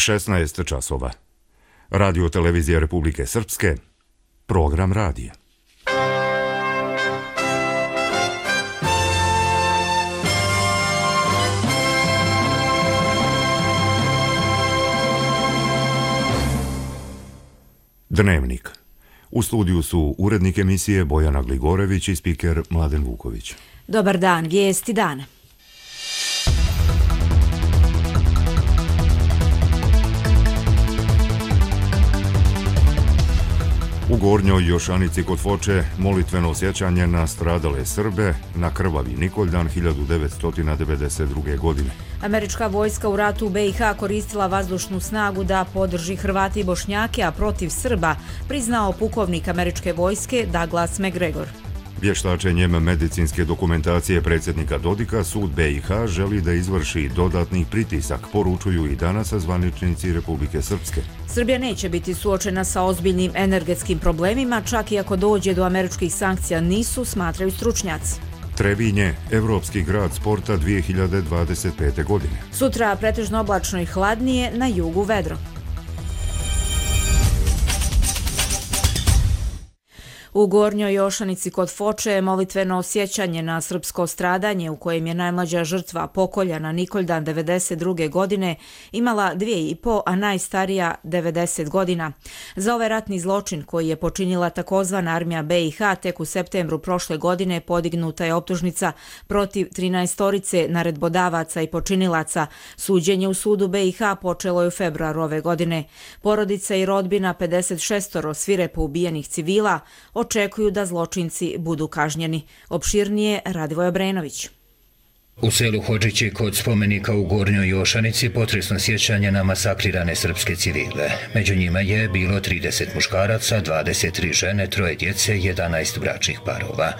16 časova. Radio televizija Republike Srpske, program radija. Dnevnik. U studiju su urednik emisije Bojana Gligorević i spiker Mladen Vuković. Dobar dan, vijesti dana. U Gornjoj Jošanici kod Foče molitveno sjećanje na stradale Srbe na krvavi Nikoljdan 1992. godine. Američka vojska u ratu u BiH koristila vazdušnu snagu da podrži Hrvate i Bošnjake, a protiv Srba, priznao pukovnik američke vojske Douglas McGregor. Vještačenjem medicinske dokumentacije predsjednika Dodika, sud BiH želi da izvrši dodatni pritisak, poručuju i danas zvaničnici Republike Srpske. Srbija neće biti suočena sa ozbiljnim energetskim problemima, čak i ako dođe do američkih sankcija nisu, smatraju stručnjaci. Trebinje, evropski grad sporta 2025. godine. Sutra pretežno oblačno i hladnije, na jugu vedro. U Gornjoj Jošanici kod Foče molitveno sjećanje na srpsko stradanje u kojem je najmlađa žrtva pokoljana Nikoljdan 92. godine imala 2,5, a najstarija 90 godina. Za ovaj ratni zločin koji je počinila takozvana armija BiH tek u septembru prošle godine podignuta je optužnica protiv 13 naredbodavaca i počinilaca. Suđenje u sudu BiH počelo je u februaru ove godine. Porodica i rodbina 56 svirepo ubijenih civila očekuju da zločinci budu kažnjeni. Opširnije Radivoj Obrenović. U selu Hodžići kod spomenika u Gornjoj Jošanici potresno sjećanje na masakrirane srpske civile. Među njima je bilo 30 muškaraca, 23 žene, 3 djece, 11 bračnih parova.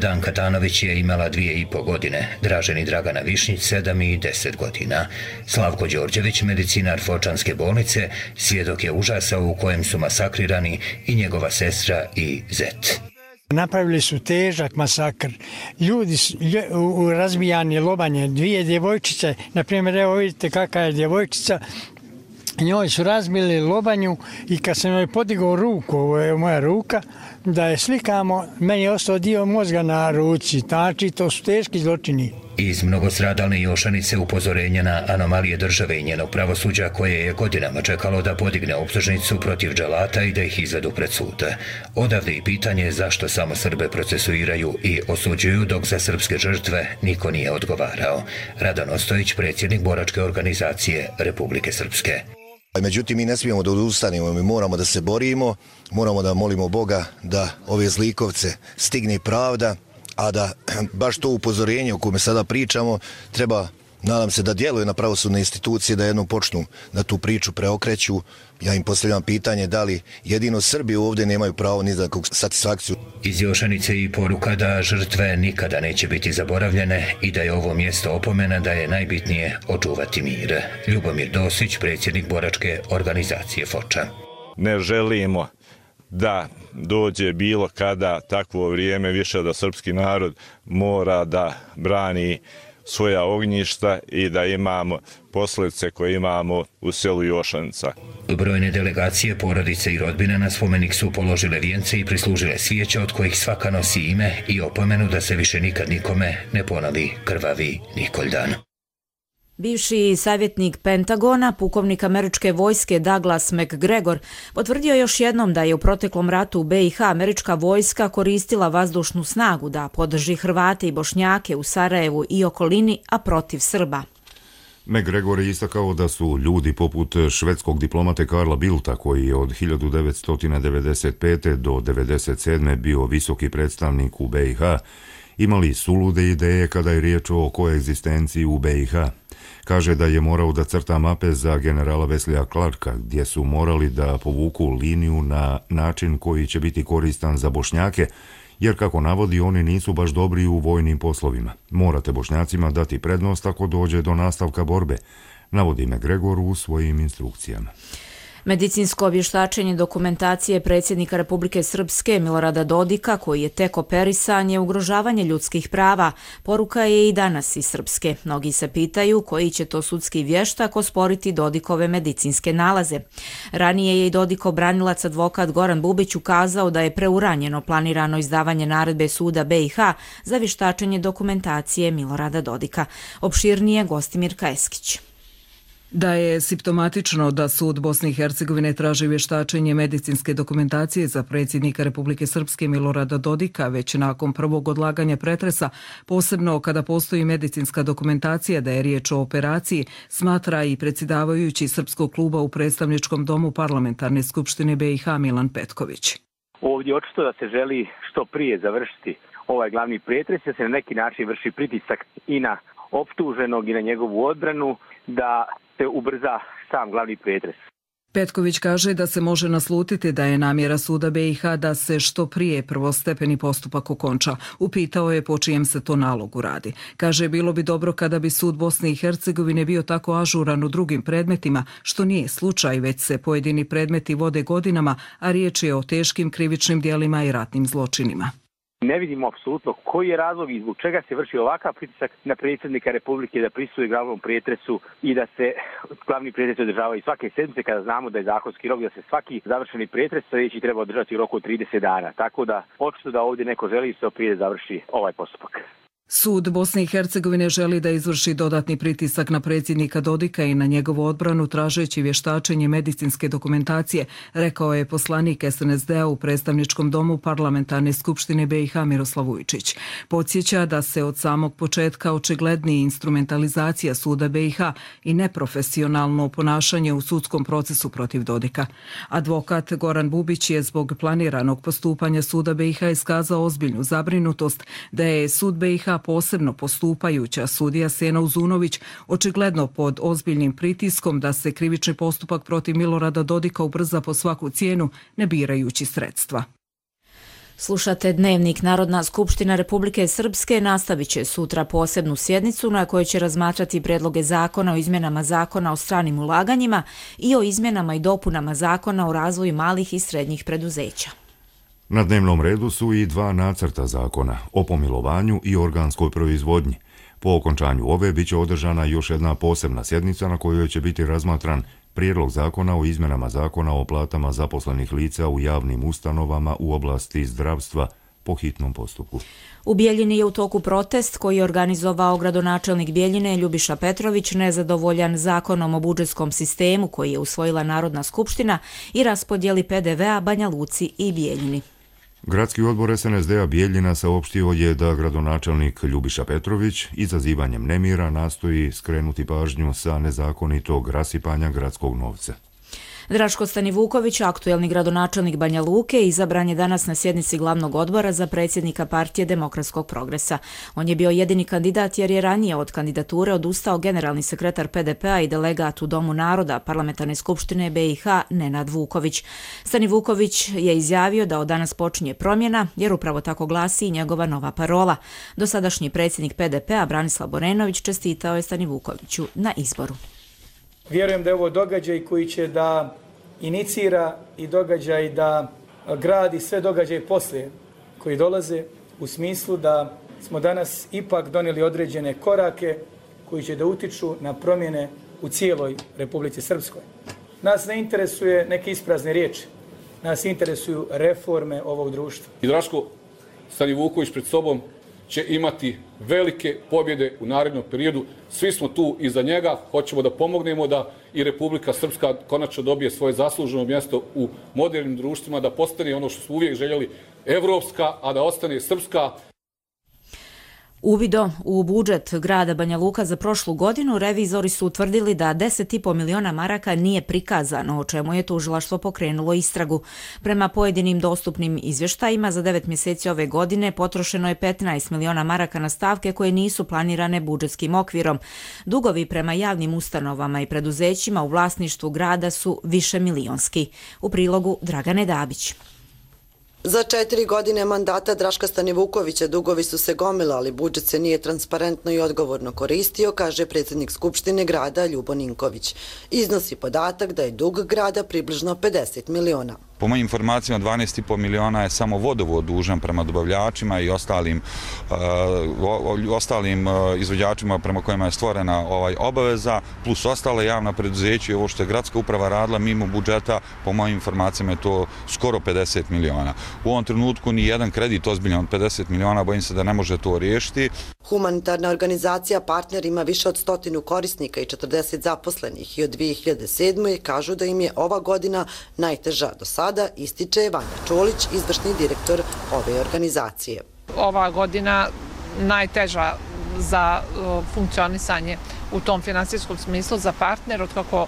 Danka Tanović je imala 2,5 godine, Dražen i Dragana Višnjić 7 i 10 godina. Slavko Đorđević, medicinar Fočanske bolnice, svjedok je užasa u kojem su masakrirani i njegova sestra i zet. Napravili su težak masakr. Ljudi u razbijanje, lobanje, 2 djevojčice, na primjer, evo vidite kakva je djevojčica, njoj su razbili lobanju i kad sam joj podigao ruku, ovo je moja ruka, da je slikamo, meni je ostao dio mozga na ruci, znači to su teški zločini. Iz mnogostradalne Jošanice upozorenje na anomalije države i njenog pravosuđa koje je godinama čekalo da podigne optužnicu protiv dželata i da ih izvedu pred sud. Odavde i pitanje zašto samo Srbe procesuiraju i osuđuju dok za srpske žrtve niko nije odgovarao. Radan Ostojić, predsjednik boračke organizacije Republike Srpske. Međutim, mi ne smijemo da odustanemo, mi moramo da se borimo, moramo da molimo Boga da ove zlikovce stigne pravda, a da baš to upozorenje o kome sada pričamo treba, nadam se, da djeluje na pravosudne institucije, da jednom počnu da tu priču preokreću. Ja im postavljam pitanje da li jedino Srbi ovdje nemaju pravo ni za kakvu satisfakciju. Iz Jošanice i poruka da žrtve nikada neće biti zaboravljene i da je ovo mjesto opomena da je najbitnije očuvati mir. Ljubomir Dosić, predsjednik boračke organizacije Foča. Ne želimo da dođe bilo kada takvo vrijeme više da srpski narod mora da brani svoja ognjišta i da imamo posljedice koje imamo u selu Jošanica. Brojne delegacije, porodice i rodbine na spomenik su položile vijence i prislužile svijeće od kojih svaka nosi ime i opomenu da se više nikad nikome ne ponovi krvavi Nikoljdan. Bivši savjetnik Pentagona, pukovnik američke vojske Douglas McGregor, potvrdio još jednom da je u proteklom ratu u BiH američka vojska koristila vazdušnu snagu da podrži Hrvate i Bošnjake u Sarajevu i okolini, a protiv Srba. McGregor je istakao da su ljudi poput švedskog diplomate Karla Bildta, koji je od 1995. do 1997. bio visoki predstavnik u BiH, imali sulude ideje kada je riječ o koegzistenciji u BiH. Kaže da je morao da crta mape za generala Weslija Clarka, gdje su morali da povuku liniju na način koji će biti koristan za Bošnjake, jer kako navodi oni nisu baš dobri u vojnim poslovima. Morate Bošnjacima dati prednost ako dođe do nastavka borbe, navodi McGregor u svojim instrukcijama. Medicinsko vještačenje dokumentacije predsjednika Republike Srpske Milorada Dodika, koji je tek operisan, je ugrožavanje ljudskih prava. Poruka je i danas iz Srpske. Mnogi se pitaju koji će to sudski vještak osporiti Dodikove medicinske nalaze. Ranije je i Dodikov branilac advokat Goran Bubić ukazao da je preuranjeno planirano izdavanje naredbe suda BiH za vještačenje dokumentacije Milorada Dodika. Opširnije Gostimir Kajeskić. Da je simptomatično da sud Bosne i Hercegovine traži vještačenje medicinske dokumentacije za predsjednika Republike Srpske Milorada Dodika već nakon prvog odlaganja pretresa, posebno kada postoji medicinska dokumentacija da je riječ o operaciji, smatra i predsjedavajući Srpskog kluba u predstavničkom domu Parlamentarne skupštine BiH Milan Petković. Ovdje očito da se želi što prije završiti ovaj glavni pretres, da se na neki način vrši pritisak i na optuženog i na njegovu odbranu da se ubrza sam glavni pretres. Petković kaže da se može naslutiti da je namjera suda BiH da se što prije prvostepeni postupak okonča. Upitao je po čijem se to nalogu radi. Kaže, bilo bi dobro kada bi sud Bosne i Hercegovine bio tako ažuran u drugim predmetima, što nije slučaj, već se pojedini predmeti vode godinama, a riječ je o teškim krivičnim djelima i ratnim zločinima. Ne vidimo apsolutno koji je razlog i zbog čega se vrši ovakav pritisak na predsjednika Republike da prisustvuje glavnom pretresu i da se glavni pretres održava i svake sedmice, kada znamo da je zakonski rok da se svaki završeni pretres sljedeći treba održati u roku od 30 dana. Tako da očito da ovdje neko želi što prije završi ovaj postupak. Sud Bosne i Hercegovine želi da izvrši dodatni pritisak na predsjednika Dodika i na njegovu odbranu tražeći vještačenje medicinske dokumentacije, rekao je poslanik SNSD-a u predstavničkom domu Parlamentarne skupštine BiH Miroslav Vujčić. Podsjeća da se od samog početka očigledni instrumentalizacija suda BiH i neprofesionalno ponašanje u sudskom procesu protiv Dodika. Advokat Goran Bubić je zbog planiranog postupanja suda BiH iskazao ozbiljnu zabrinutost da je sud BiH posebno postupajuća sudija Sena Uzunović očigledno pod ozbiljnim pritiskom da se krivični postupak protiv Milorada Dodika ubrza po svaku cijenu, ne birajući sredstva. Slušate Dnevnik. Narodna skupština Republike Srpske nastavit će sutra posebnu sjednicu na kojoj će razmatrati predloge zakona o izmjenama zakona o stranim ulaganjima i o izmjenama i dopunama zakona o razvoju malih i srednjih preduzeća. Na dnevnom redu su i dva nacrta zakona o pomilovanju i organskoj proizvodnji. Po okončanju ove biće održana još jedna posebna sjednica na kojoj će biti razmatran prijedlog zakona o izmjenama zakona o platama zaposlenih lica u javnim ustanovama u oblasti zdravstva po hitnom postupku. U Bijeljini je u toku protest koji je organizovao gradonačelnik Bijeljine Ljubiša Petrović, nezadovoljan zakonom o budžetskom sistemu koji je usvojila Narodna skupština i raspodjeli PDV-a Banja Luci i Bijeljini. Gradski odbor SNSD-a Bijeljina saopštio je da gradonačelnik Ljubiša Petrović izazivanjem nemira nastoji skrenuti pažnju sa nezakonitog rasipanja gradskog novca. Draško Stanivuković, aktuelni gradonačelnik Banja Luke, izabran je danas na sjednici glavnog odbora za predsjednika partije Demokratskog progresa. On je bio jedini kandidat jer je ranije od kandidature odustao generalni sekretar PDP-a i delegat u Domu naroda Parlamentarne skupštine BiH Nenad Vuković. Stanivuković je izjavio da od danas počinje promjena jer upravo tako glasi i njegova nova parola. Dosadašnji predsjednik PDP-a Branislav Borenović čestitao je Stanivukoviću na izboru. Vjerujem da je ovo događaj koji će da inicira i događaj da gradi sve događaje poslije koji dolaze u smislu da smo danas ipak donijeli određene korake koji će da utiču na promjene u cijeloj Republici Srpskoj. Nas ne interesuje neke isprazne riječi, nas interesuju reforme ovog društva. I Draško Stanivuković pred sobom će imati velike pobjede u narednom periodu. Svi smo tu iza njega, hoćemo da pomognemo da i Republika Srpska konačno dobije svoje zasluženo mjesto u modernim društvima, da postane ono što smo uvijek željeli, evropska, a da ostane srpska. Uvidom u budžet grada Banja Luka za prošlu godinu revizori su utvrdili da 10,5 miliona maraka nije prikazano, o čemu je tužilaštvo pokrenulo istragu. Prema pojedinim dostupnim izvještajima za 9 mjeseci ove godine potrošeno je 15 miliona maraka na stavke koje nisu planirane budžetskim okvirom. Dugovi prema javnim ustanovama i preduzećima u vlasništvu grada su više milionski. U prilogu Dragane Dabić. Za 4 godine mandata Draška Stanivukovića dugovi su se gomilali, budžet se nije transparentno i odgovorno koristio, kaže predsjednik Skupštine grada Ljubo Ninković. Iznosi podatak da je dug grada približno 50 miliona. Po mojim informacijama 12,5 miliona je samo vodovod dužan prema dobavljačima i ostalim izvođačima prema kojima je stvorena obaveza, plus ostale javna preduzeća i ovo što je gradska uprava radila mimo budžeta, po mojim informacijama je to skoro 50 miliona. U ovom trenutku ni jedan kredit ozbiljan od 50 miliona, bojim se da ne može to riješiti. Humanitarna organizacija Partner ima više od 100 korisnika i 40 zaposlenih i od 2007. kažu da im je ova godina najteža do sada, ističe Vanja Čolić, izvršni direktor ove organizacije. Ova godina najteža za funkcionisanje u tom finansijskom smislu za Partner, otkako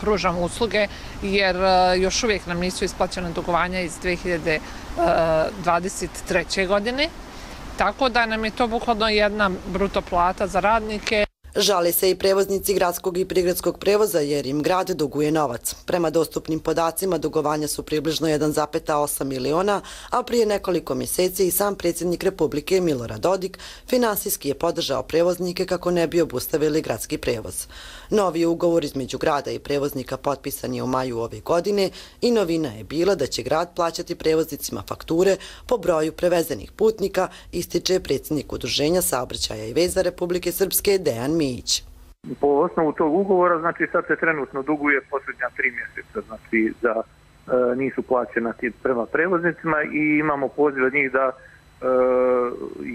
pružamo usluge, jer još uvijek nam nisu isplaćene dugovanja iz 2023. godine. Tako da nam je to bukvalno jedna bruto plata za radnike. Žale se i prevoznici gradskog i prigradskog prevoza jer im grad duguje novac. Prema dostupnim podacima dugovanja su približno 1,8 miliona, a prije nekoliko mjeseci i sam predsjednik Republike Milorad Dodik finansijski je podržao prevoznike kako ne bi obustavili gradski prevoz. Novi ugovor između grada i prevoznika potpisan je u maju ove godine i novina je bila da će grad plaćati prevoznicima fakture po broju prevezenih putnika, ističe predsjednik Udruženja saobraćaja i veza Republike Srpske Dejan Mijić. Po osnovu tog ugovora, znači sad se trenutno duguje posljednja 3 mjeseca, znači nisu plaćena prema prevoznicima i imamo poziv od njih da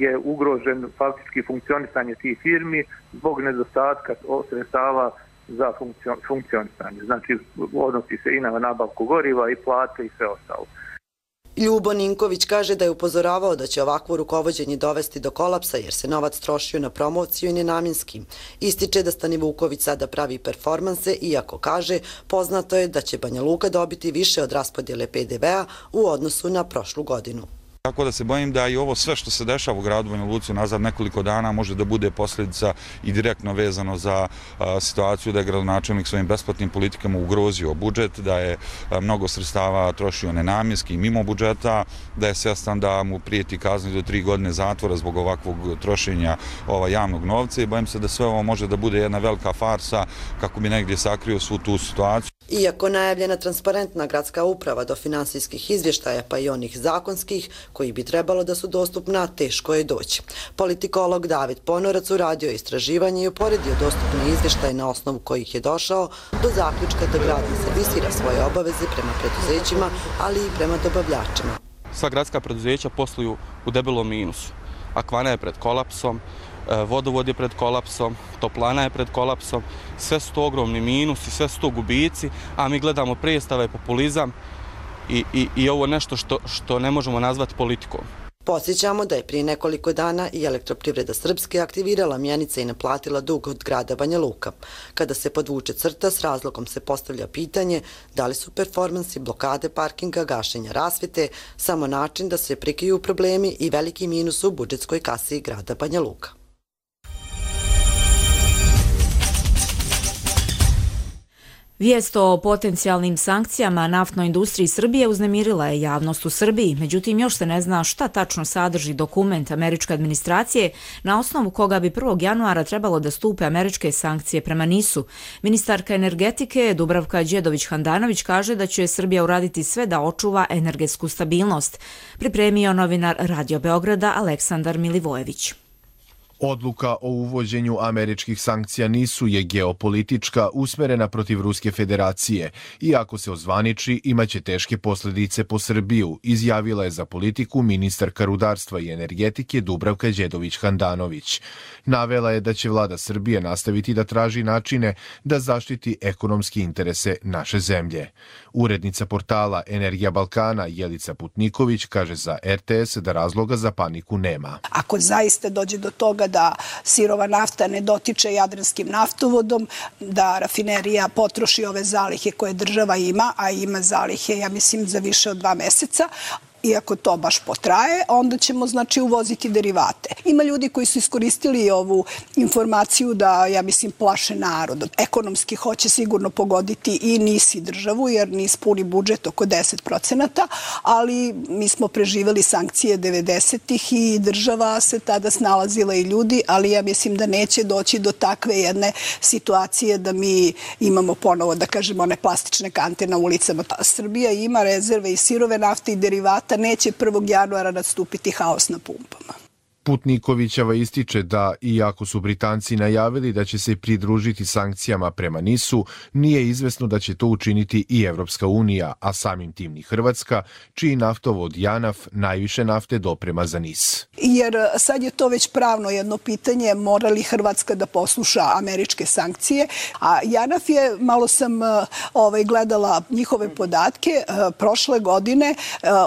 je ugrožen faktički funkcionisanje tih firmi zbog nedostatka sredstava za funkcionisanje. Znači odnosi se i na nabavku goriva i plate i sve ostalo. Ljubo Ninković kaže da je upozoravao da će ovakvo rukovođenje dovesti do kolapsa jer se novac trošio na promociju i nenamjenski. Ističe da Stanivuković sada pravi performanse, iako kaže poznato je da će Banja Luka dobiti više od raspodjele PDV-a u odnosu na prošlu godinu. Tako da se bojim da i ovo sve što se dešava u gradu Banja Luci nazad nekoliko dana može da bude posljedica i direktno vezano za situaciju da je gradonačelnik svojim besplatnim politikama ugrozio budžet, da je mnogo sredstava trošio nenamjenski i mimo budžeta, da je svjestan da mu prijeti kazni do 3 godine zatvora zbog ovakvog trošenja javnog novca i bojim se da sve ovo može da bude jedna velika farsa kako bi negdje sakrio svu tu situaciju. Iako najavljena transparentna gradska uprava do finansijskih izvještaja pa i onih zakonskih koji bi trebalo da su dostupna, teško je doći. Politikolog David Ponorac uradio istraživanje i uporedio dostupne izvještaje na osnovu kojih je došao do zaključka da grad ne servisira svoje obaveze prema preduzećima, ali i prema dobavljačima. Sva gradska preduzeća posluju u debelom minusu. Akvana je pred kolapsom, vodovod je pred kolapsom, toplana je pred kolapsom, sve su to ogromni minusi, sve su to gubici, a mi gledamo predstave, populizam i ovo nešto što ne možemo nazvati politikom. Podsjećamo da je prije nekoliko dana i Elektroprivreda Srpske aktivirala mjenice i naplatila dug od grada Banja Luka. Kada se podvuče crta, s razlogom se postavlja pitanje da li su performansi blokade parkinga, gašenja rasvjete samo način da se prikriju problemi i veliki minus u budžetskoj kasi grada Banja Luka. Vijest o potencijalnim sankcijama naftnoj industriji Srbije uznemirila je javnost u Srbiji, međutim još se ne zna šta tačno sadrži dokument američke administracije na osnovu koga bi 1. januara trebalo da stupe američke sankcije prema NIS-u. Ministarka energetike Dubravka Đedović-Handanović kaže da će Srbija uraditi sve da očuva energetsku stabilnost, pripremio novinar Radio Beograda Aleksandar Milivojević. Odluka o uvođenju američkih sankcija NIS-u je geopolitička, usmerena protiv Ruske federacije i ako se ozvaniči imaće teške posljedice po Srbiju, izjavila je za politiku ministarka rudarstva i energetike Dubravka Đedović-Handanović. Navela je da će vlada Srbije nastaviti da traži načine da zaštiti ekonomski interese naše zemlje. Urednica portala Energija Balkana Jelica Putniković kaže za RTS da razloga za paniku nema. Ako zaista dođe do toga da sirova nafta ne dotiče Jadranskim naftovodom, da rafinerija potroši ove zalihe koje država ima, a ima zalihe, ja mislim, za više od 2 mjeseca, i ako to baš potraje, onda ćemo znači uvoziti derivate. Ima ljudi koji su iskoristili ovu informaciju da, ja mislim, plaše narod. Ekonomski hoće sigurno pogoditi i NIS i državu, jer NIS puni budžet oko 10%, ali mi smo preživeli sankcije 90-ih i država se tada snalazila i ljudi, ali ja mislim da neće doći do takve jedne situacije da mi imamo ponovo, da kažemo, one plastične kante na ulicama. Srbija ima rezerve i sirove nafte i derivata, neće 1. januara nastupiti haos na pumpama. Putnikovićeva ističe da, iako su Britanci najavili da će se pridružiti sankcijama prema NIS-u, nije izvesno da će to učiniti i Evropska unija, a samim tim ni Hrvatska, čiji naftovod JANAF najviše nafte doprema za NIS. Jer sad je to već pravno jedno pitanje, mora li Hrvatska da posluša američke sankcije, a JANAF je, malo sam gledala njihove podatke, prošle godine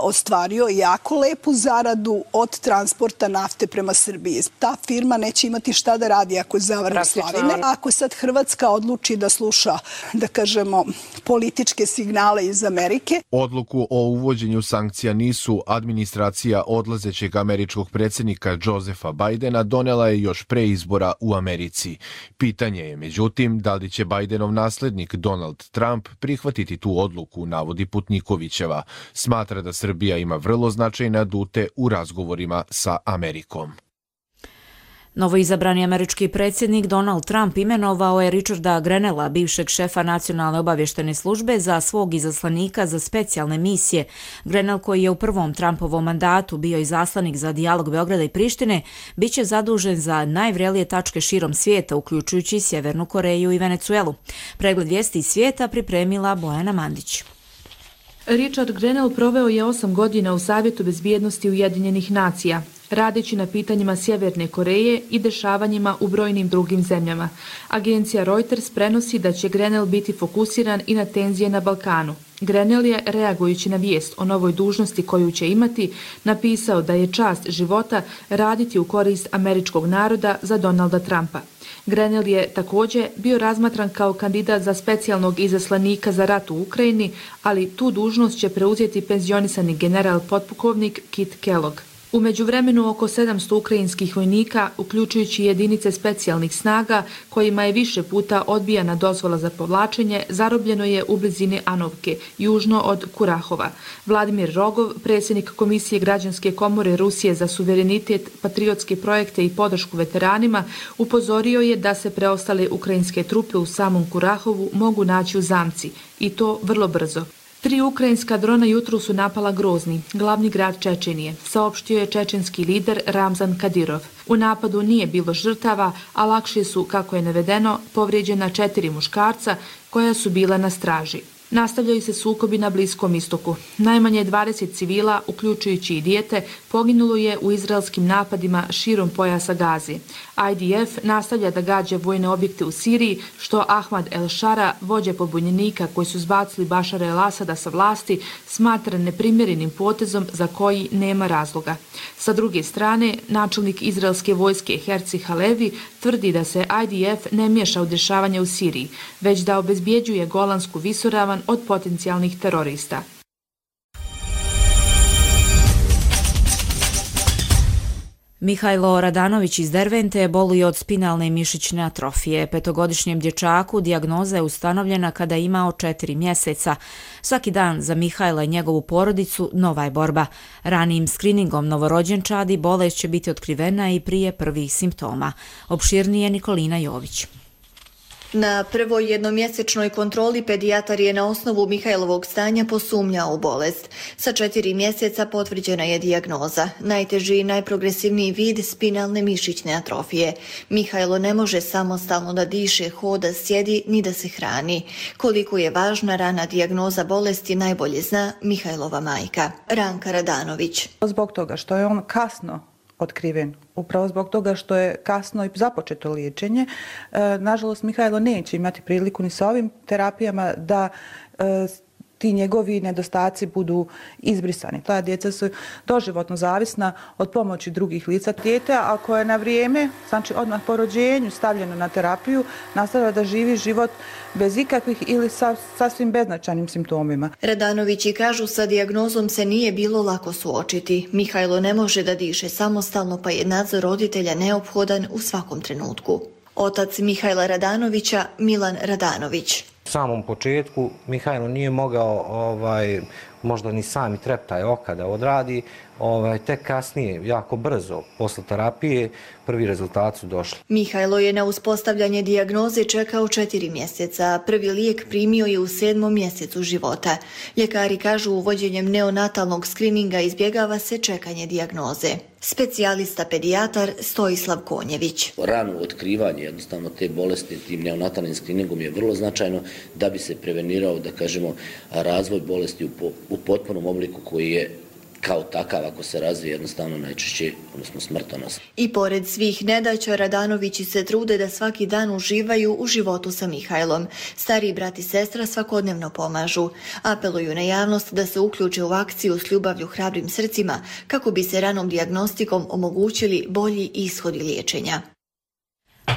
ostvario jako lepu zaradu od transporta nafte prema Srbiji. Ta firma neće imati šta da radi ako zavrne slavine. Ako sad Hrvatska odluči da sluša, da kažemo, političke signale iz Amerike. Odluku o uvođenju sankcija NIS-u administracija odlazećeg američkog predsjednika Josepha Bidena donela je još pre izbora u Americi. Pitanje je, međutim, da li će Bidenov naslednik Donald Trump prihvatiti tu odluku, navodi Putnikovićeva. Smatra da Srbija ima vrlo značajne adute u razgovorima sa Amerikom. Novoizabrani američki predsjednik Donald Trump imenovao je Richarda Grenella, bivšeg šefa Nacionalne obavještene službe, za svog izaslanika za specijalne misije. Grenell, koji je u prvom Trumpovom mandatu bio izaslanik za dijalog Beograda i Prištine, bit će zadužen za najvrelije tačke širom svijeta, uključujući Sjevernu Koreju i Venecuelu. Pregled vijesti iz svijeta pripremila Bojana Mandić. Richard Grenell proveo je 8 godina u Savjetu bezbjednosti Ujedinjenih nacija, radeći na pitanjima Sjeverne Koreje i dešavanjima u brojnim drugim zemljama. Agencija Reuters prenosi da će Grenell biti fokusiran i na tenzije na Balkanu. Grenell je, reagujući na vijest o novoj dužnosti koju će imati, napisao da je čast života raditi u korist američkog naroda za Donalda Trumpa. Grenell je također bio razmatran kao kandidat za specijalnog izaslanika za rat u Ukrajini, ali tu dužnost će preuzeti penzionisani general potpukovnik Kit Kellogg. U međuvremenu oko 700 ukrajinskih vojnika, uključujući jedinice specijalnih snaga, kojima je više puta odbijana dozvola za povlačenje, zarobljeno je u blizini Anovke, južno od Kurahova. Vladimir Rogov, predsjednik Komisije Građanske komore Rusije za suverenitet, patriotske projekte i podršku veteranima, upozorio je da se preostale ukrajinske trupe u samom Kurahovu mogu naći u zamci, i to vrlo brzo. 3 ukrajinska drona jutro su napala Grozni, glavni grad Čečenije, saopštio je čečenski lider Ramzan Kadirov. U napadu nije bilo žrtava, a lakše su, kako je navedeno, povrijeđena 4 muškarca koja su bila na straži. Nastavljaju se sukobi na Bliskom istoku. Najmanje 20 civila, uključujući i dijete, poginulo je u izraelskim napadima širom pojasa Gaze. IDF nastavlja da gađa vojne objekte u Siriji, što Ahmad el-Shara, vođa pobunjenika koji su zbacili Bašara el-Asada sa vlasti, smatra neprimjerenim potezom za koji nema razloga. Sa druge strane, načelnik izraelske vojske Herci Halevi tvrdi da se IDF ne miješa u dešavanja u Siriji, već da obezbjeđuje Golansku visoravan od potencijalnih terorista. Mihajlo Radanović iz Dervente boluje od spinalne mišićne atrofije. 5-godišnjem dječaku dijagnoza je ustanovljena kada je imao 4 mjeseca. Svaki dan za Mihajla i njegovu porodicu nova je borba. Ranijim skriningom novorođenčadi bolest će biti otkrivena i prije prvih simptoma. Opširnije Nikolina Jović. Na prvoj jednomjesečnoj kontroli pedijatar je na osnovu Mihajlovog stanja posumnjao u bolest. Sa 4 mjeseca potvrđena je dijagnoza. Najteži i najprogresivniji vid spinalne mišićne atrofije. Mihajlo ne može samostalno da diše, hoda, sjedi ni da se hrani. Koliko je važna rana dijagnoza bolesti najbolje zna Mihajlova majka, Ranka Radanović. Zbog toga što je on kasno otkriven, upravo zbog toga što je kasno i započeto liječenje. Nažalost, Mihajlo neće imati priliku ni sa ovim terapijama da ti njegovi nedostaci budu izbrisani. Ta djeca su doživotno zavisna od pomoći drugih lica. Dijete, ako je na vrijeme, znači odmah po rođenju stavljeno na terapiju, nastavlja da živi život bez ikakvih ili sasvim beznačajnim simptomima. Radanovići kažu sa dijagnozom se nije bilo lako suočiti. Mihajlo ne može da diše samostalno, pa je nadzor roditelja neophodan u svakom trenutku. Otac Mihajla Radanovića, Milan Radanović. U samom početku Mihajlo nije mogao možda ni sami treptaj oka da odradi, tek kasnije, jako brzo, posle terapije, prvi rezultati su došli. Mihajlo je na uspostavljanje dijagnoze čekao 4 mjeseca. Prvi lijek primio je u 7. mjesecu života. Ljekari kažu uvođenjem neonatalnog skrininga izbjegava se čekanje dijagnoze. Specijalista pedijatar Stojislav Konjević. Rano otkrivanje jednostavno te bolesti tim neonatalnim skriningom je vrlo značajno da bi se prevenirao, da kažemo, razvoj bolesti u potpunom obliku koji je kao takav, ako se razvije, jednostavno najčešće, odnosno smrtonosan. I pored svih nedaća, Radanovići se trude da svaki dan uživaju u životu sa Mihajlom. Stariji brat i sestra svakodnevno pomažu. Apeluju na javnost da se uključe u akciju s ljubavlju hrabrim srcima kako bi se ranom dijagnostikom omogućili bolji ishodi liječenja.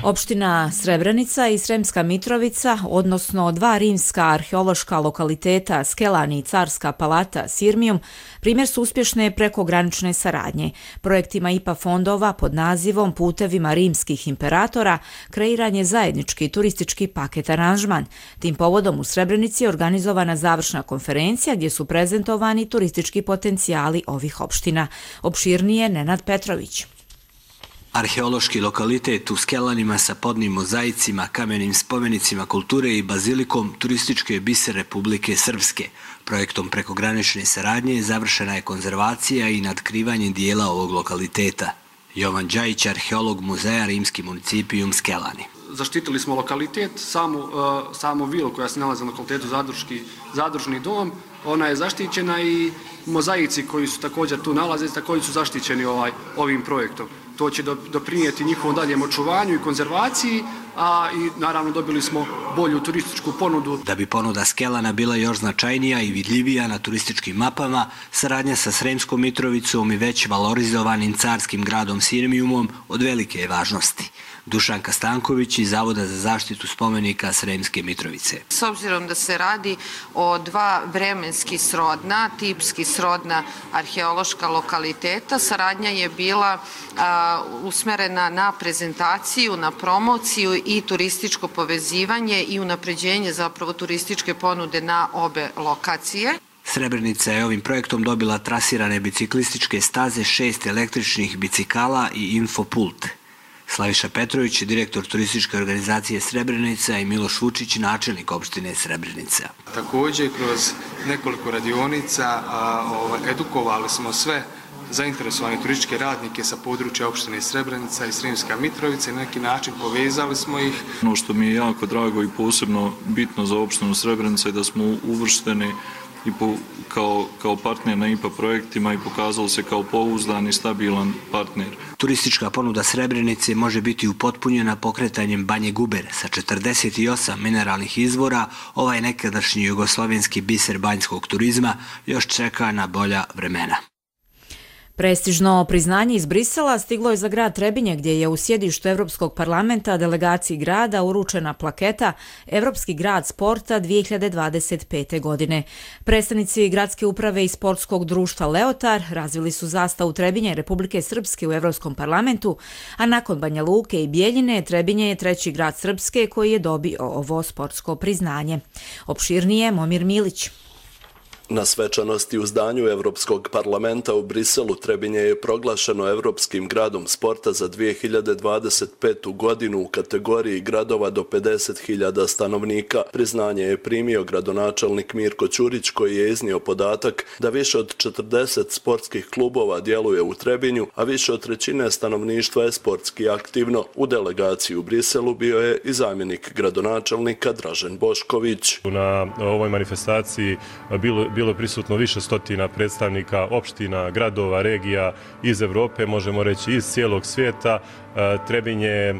Opština Srebrenica i Sremska Mitrovica, odnosno 2 rimska arheološka lokaliteta Skelani i Carska palata Sirmijum, primjer su uspješne prekogranične saradnje. Projektima IPA fondova pod nazivom Putevima rimskih imperatora kreiran je zajednički turistički paket aranžman. Tim povodom u Srebrenici je organizovana završna konferencija gdje su prezentovani turistički potencijali ovih opština. Opširnije Nenad Petrović. Arheološki lokalitet u Skelanima sa podnim mozaicima, kamenim spomenicima kulture i bazilikom turistički je biser Republike Srpske. Projektom prekogranične saradnje završena je konzervacija i nadkrivanje dijela ovog lokaliteta. Jovan Đajić, arheolog muzeja Rimski municipijum Skelani. Zaštitili smo lokalitet, samu vilu koja se nalazi na lokalitetu zadružni dom, ona je zaštićena i mozaici koji su također tu nalaze, također su zaštićeni ovim projektom. To će doprinijeti njihovom daljem očuvanju i konzervaciji, a i naravno dobili smo bolju turističku ponudu. Da bi ponuda Skelana bila još značajnija i vidljivija na turističkim mapama, saradnja sa Sremskom Mitrovicom i već valorizovanim carskim gradom Sirmijumom od velike je važnosti. Dušanka Stanković iz Zavoda za zaštitu spomenika Sremske Mitrovice. S obzirom da se radi o 2 vremenski srodna, tipski srodna arheološka lokaliteta, saradnja je bila usmerena na prezentaciju, na promociju i turističko povezivanje i unapređenje zapravo turističke ponude na obe lokacije. Srebrenica je ovim projektom dobila trasirane biciklističke staze, 6 električnih bicikala i infopult. Slaviša Petrović, direktor turističke organizacije Srebrenica, i Miloš Vučić, načelnik opštine Srebrenica. Također, kroz nekoliko radionica edukovali smo sve zainteresovane turističke radnike sa područja opštine Srebrenica i Sremska Mitrovica i na neki način povezali smo ih. Ono što mi je jako drago i posebno bitno za opštinu Srebrenica je da smo uvršteni i kao partner na IPA projektima i pokazalo se kao pouzdan i stabilan partner. Turistička ponuda Srebrenice može biti upotpunjena pokretanjem Banje Guber sa 48 mineralnih izvora. Ovaj nekadašnji jugoslovenski biser banjskog turizma još čeka na bolja vremena. Prestižno priznanje iz Brisela stiglo je za grad Trebinje, gdje je u sjedištu Evropskog parlamenta delegaciji grada uručena plaketa Evropski grad sporta 2025. godine. Predstavnici gradske uprave i sportskog društva Leotar razvili su zastavu Trebinje Republike Srpske u Evropskom parlamentu, a nakon Banja Luke i Bijeljine, Trebinje je 3. grad Srpske koji je dobio ovo sportsko priznanje. Opširnije Momir Milić. Na svečanosti u zdanju Evropskog parlamenta u Briselu Trebinje je proglašeno Evropskim gradom sporta za 2025. godinu u kategoriji gradova do 50.000 stanovnika. Priznanje je primio gradonačelnik Mirko Ćurić, koji je iznio podatak da više od 40 sportskih klubova djeluje u Trebinju, a više od 1/3 stanovništva je sportski aktivno. U delegaciji u Briselu bio je i zamjenik gradonačelnika Dražen Bošković. Na ovoj manifestaciji bio bilo prisutno više stotina predstavnika opština, gradova, regija iz Evrope, možemo reći iz cijelog svijeta. Trebinje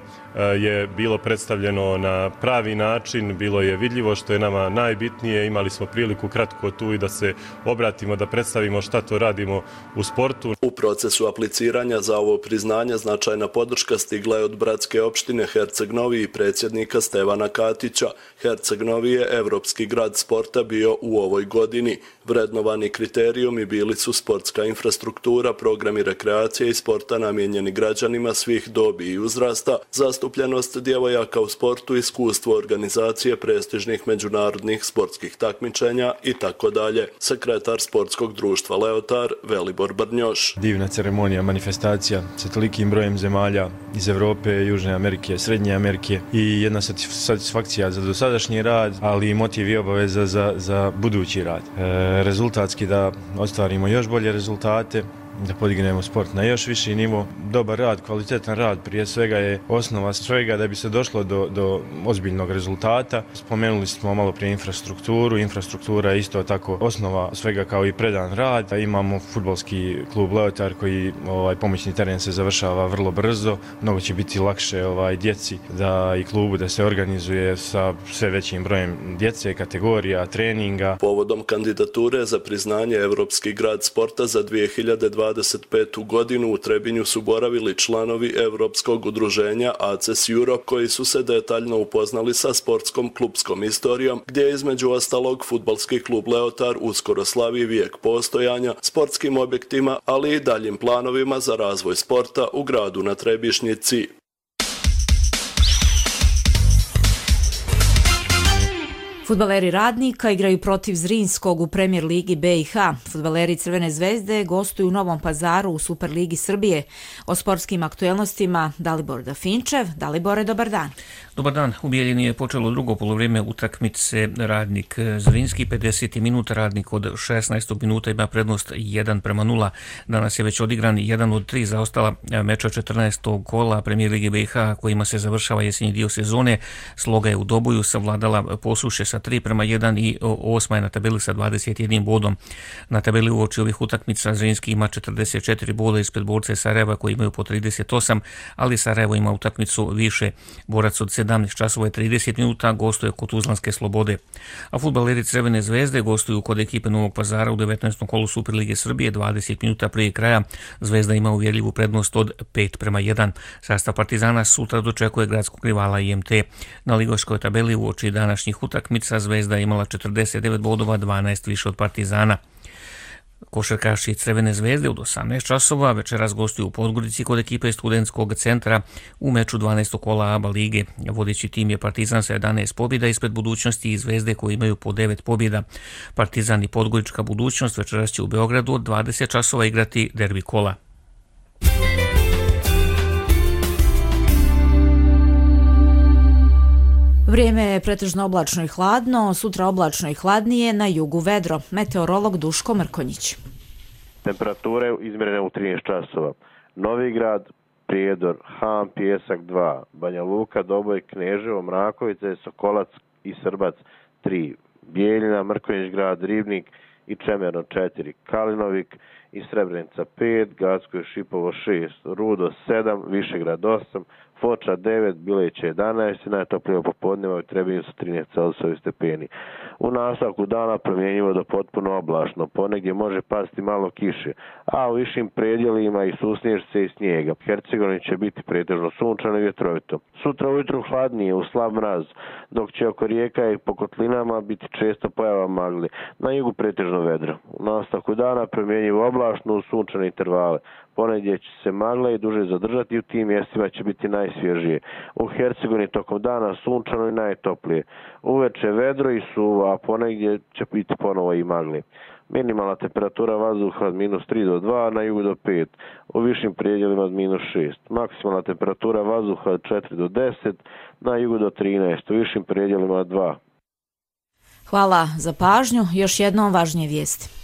je bilo predstavljeno na pravi način, bilo je vidljivo što je nama najbitnije. Imali smo priliku kratko tu i da se obratimo, da predstavimo šta to radimo u sportu. U procesu apliciranja za ovo priznanje značajna podrška stigla je od bratske opštine Herceg Novi i predsjednika Stevana Katića. Herceg Novi je evropski grad sporta bio u ovoj godini. Vrednovani kriterijumi bili su sportska infrastruktura, programi rekreacije i sporta namijenjeni građanima svih dobi i uzrasta, zastupljenost djevojaka u sportu, iskustvo organizacije prestižnih međunarodnih sportskih takmičenja itd. Sekretar sportskog društva Leotar Velibor Brnjoš. Divna ceremonija, manifestacija sa tolikim brojem zemalja iz Evrope, Južne Amerike, Srednje Amerike i jedna satisfakcija za dosadašnji rad, ali i motiv i obaveza za budući rad. Rezultatski da ostvarimo još bolje rezultate, da podignemo sport na još viši nivo. Dobar rad, kvalitetan rad prije svega je osnova svega da bi se došlo do ozbiljnog rezultata. Spomenuli smo malo prije infrastrukturu. Infrastruktura je isto tako osnova svega kao i predan rad. Imamo fudbalski klub Leotar koji pomoćni teren se završava vrlo brzo. Mnogo će biti lakše djeci i klubu da se organizuje sa sve većim brojem djece, kategorija, treninga. Povodom kandidature za priznanje Evropski grad sporta za 2025. godinu u Trebinju su boravili članovi Evropskog udruženja ACES Europe koji su se detaljno upoznali sa sportskom klubskom istorijom, gdje je između ostalog fudbalski klub Leotar uskoro slavi vijek postojanja, sportskim objektima, ali i daljim planovima za razvoj sporta u gradu na Trebišnjici. Fudbaleri Radnika igraju protiv Zrinskog u Premier ligi BiH. Fudbaleri Crvene zvezde gostuju u Novom Pazaru u Superligi Srbije. O sportskim aktuelnostima Dalibor Dafinčev. Dalibore, dobar dan. Dobar dan. U Bijeljini je počelo drugo polovrijeme utakmice Radnik Zrinski. 50 minuta Radnik od 16. minuta ima prednost 1:0. Danas je već odigran 1 od 3 zaostala meča 14. kola Premier lige BiH kojima se završava jesenji dio sezone. Sloga je u Doboju savladala Posuše sa 3:1 i 8. je na tabeli sa 21 bodom. Na tabeli uoči ovih utakmica Zrinski ima 44 boda ispred borce Sarajeva koji imaju po 38, ali Sarajevo ima utakmicu više. Borac od 17 časova i 30 minuta gostuje kod Tuzlanske Slobode. A fudbaleri Crvene zvezde gostuju kod ekipe Novog Pazara u 19. kolu Superlige Srbije 20 minuta prije kraja. Zvezda ima uvjerljivu prednost od 5:1. Sastav Partizana sutra dočekuje gradskog rivala IMT. Na ligoškoj tabeli uoči današnjih utakmica Zvezda je imala 49 bodova, 12 više od Partizana. Košarkaši Crvene zvezde od 18 časova večeras gostuju u Podgorici kod ekipe Studentskog centra u meču 12. kola ABA lige. Vodeći tim je Partizan sa 11 pobjeda ispred Budućnosti i Zvezde koji imaju po 9 pobjeda. Partizan i Podgorička Budućnost večeras će u Beogradu od 20 časova igrati derbi kola. Vrijeme je pretežno oblačno i hladno, sutra oblačno i hladnije, na jugu vedro. Meteorolog Duško Mrkonjić. Temperature izmjerene u 13 časova. Novi Grad, Prijedor, Ham, Pjesak 2, Banja Luka, Doboj, Kneževo, Mrakovice, Sokolac i Srbac 3, Bijeljina, Mrkonjić Grad, Ribnik i Čemerno 4, Kalinovik i Srebrenica 5, Gacko i Šipovo 6, Rudo 7, Višegrad 8, Foča 9, Bileće 11 i najtoplije popodneva u Trebinju sa 13 Celsijevi stepeni. U nastavku dana promjenjivo do potpuno oblačno, ponegdje može pasti malo kiše, a u višim predjelima i susnježce i snijega. Hercegovini će biti pretežno sunčano i vjetrovito. Sutra ujutru hladnije u slab mraz, dok će oko rijeka i po kotlinama biti često pojava magli. Na jugu pretežno vedro. U nastavku dana promjenjivo oblačno u sunčane intervale. Ponegdje će se magla i duže zadržati i u tim mjestima će biti najsvježije. U Hercegovini tokom dana sunčano i najtoplije. Uveče vedro i suvo, a ponegdje će biti ponovo i magli. Minimalna temperatura vazduha od -3 do 2, na jugu do 5, u višim predjelima od -6. Maksimalna temperatura vazduha od 4 do 10, na jugu do 13, u višim predjelima od 2. Hvala za pažnju. Još jednom važnije vijesti.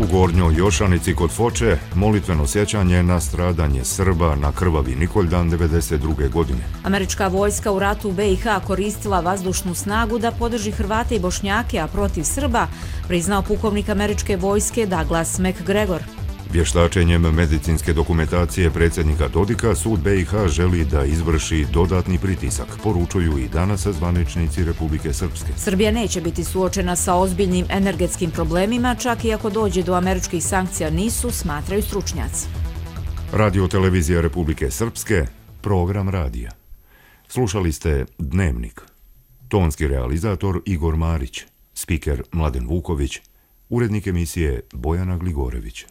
U Gornjoj Jošanici kod Foče molitveno sjećanje na stradanje Srba na krvavi Nikoljdan 1992. godine. Američka vojska u ratu u BiH koristila vazdušnu snagu da podrži Hrvate i Bošnjake, a protiv Srba priznao pukovnik američke vojske Douglas McGregor. Vještačenjem medicinske dokumentacije predsjednika Dodika, sud BiH želi da izvrši dodatni pritisak, poručuju i danas zvaničnici Republike Srpske. Srbija neće biti suočena sa ozbiljnim energetskim problemima, čak i ako dođe do američkih sankcija nisu, smatraju stručnjaci. Radio televizija Republike Srpske, program radija. Slušali ste Dnevnik. Tonski realizator Igor Marić, spiker Mladen Vuković, urednik emisije Bojana Gligorević.